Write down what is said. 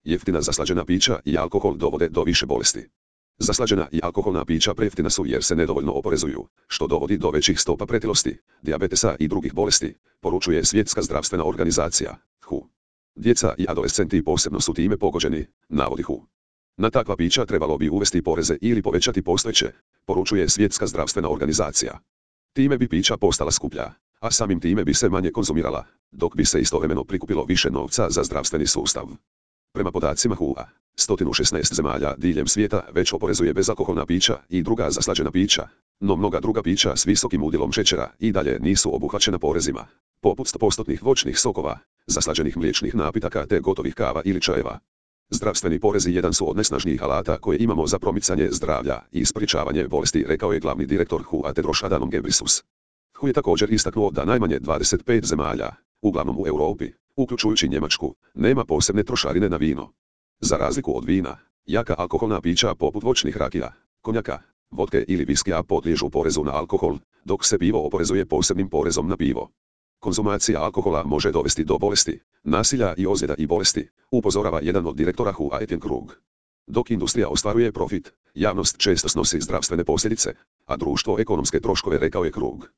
Jeftina zaslađena pića i alkohol dovode do više bolesti. Zaslađena i alkoholna pića prejeftina su jer se nedovoljno oporezuju, što dovodi do većih stopa pretilosti, dijabetesa i drugih bolesti, poručuje Svjetska zdravstvena organizacija, WHO. Djeca i adolescenti posebno su time pogođeni, navodi WHO. Na takva pića trebalo bi uvesti poreze ili povećati postojeće, poručuje Svjetska zdravstvena organizacija. Time bi pića postala skuplja, a samim time bi se manje konzumirala, dok bi se istovremeno prikupilo više novca za zdravstveni sustav. Prema podacima WHO-a, 116 zemalja diljem svijeta već oporezuje bezalkoholna pića i druga zaslađena pića, no mnoga druga pića s visokim udjelom šećera i dalje nisu obuhvaćena porezima, poput 100% voćnih sokova, zaslađenih mliječnih napitaka te gotovih kava ili čajeva. Zdravstveni porezi jedan su od najsnažnijih alata koje imamo za promicanje zdravlja i sprječavanje bolesti, rekao je glavni direktor WHO-a Tedros Adhanom Ghebreyesus. WHO je također istaknuo da najmanje 25 zemalja, uglavnom u Europi, uključujući Njemačku, nema posebne trošarine na vino. Za razliku od vina, jaka alkoholna pića poput voćnih rakija, konjaka, vodke ili viskija podliježu porezu na alkohol, dok se pivo oporezuje posebnim porezom na pivo. Konzumacija alkohola može dovesti do bolesti, nasilja i ozljeda i bolesti, upozorava jedan od direktora WHO-a Etienne Krug. Dok industrija ostvaruje profit, javnost često snosi zdravstvene posljedice, a društvo ekonomske troškove, rekao je Krug.